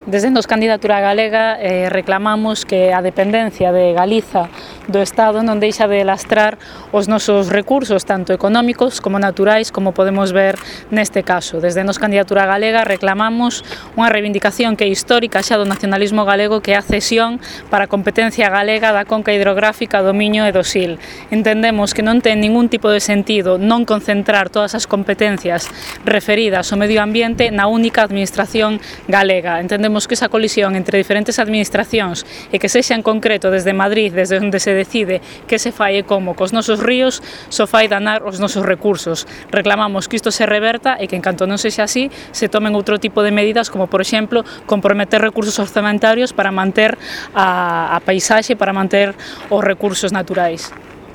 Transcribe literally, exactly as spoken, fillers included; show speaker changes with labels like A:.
A: Desde nos candidatura galega eh, reclamamos que a dependencia de Galiza do Estado non deixa de lastrar os nosos recursos, tanto económicos como naturais, como podemos ver neste caso. Desde nos candidatura galega reclamamos unha reivindicación que é histórica xa do nacionalismo galego, que é a cesión para a competencia galega da conca hidrográfica do Miño e do Sil. Entendemos que non ten ningún tipo de sentido non concentrar todas as competencias referidas ao medio ambiente na única administración galega. Entendemos que esa colisión entre diferentes administracións e que sexa en concreto desde Madrid, desde onde se decide que se fai e como cos nosos ríos, só fai danar os nosos recursos. Reclamamos que isto se reverta e que en canto non sexa así, se tomen outro tipo de medidas, como por exemplo comprometer recursos orzamentarios para manter a, a paisaxe, para manter os recursos naturais.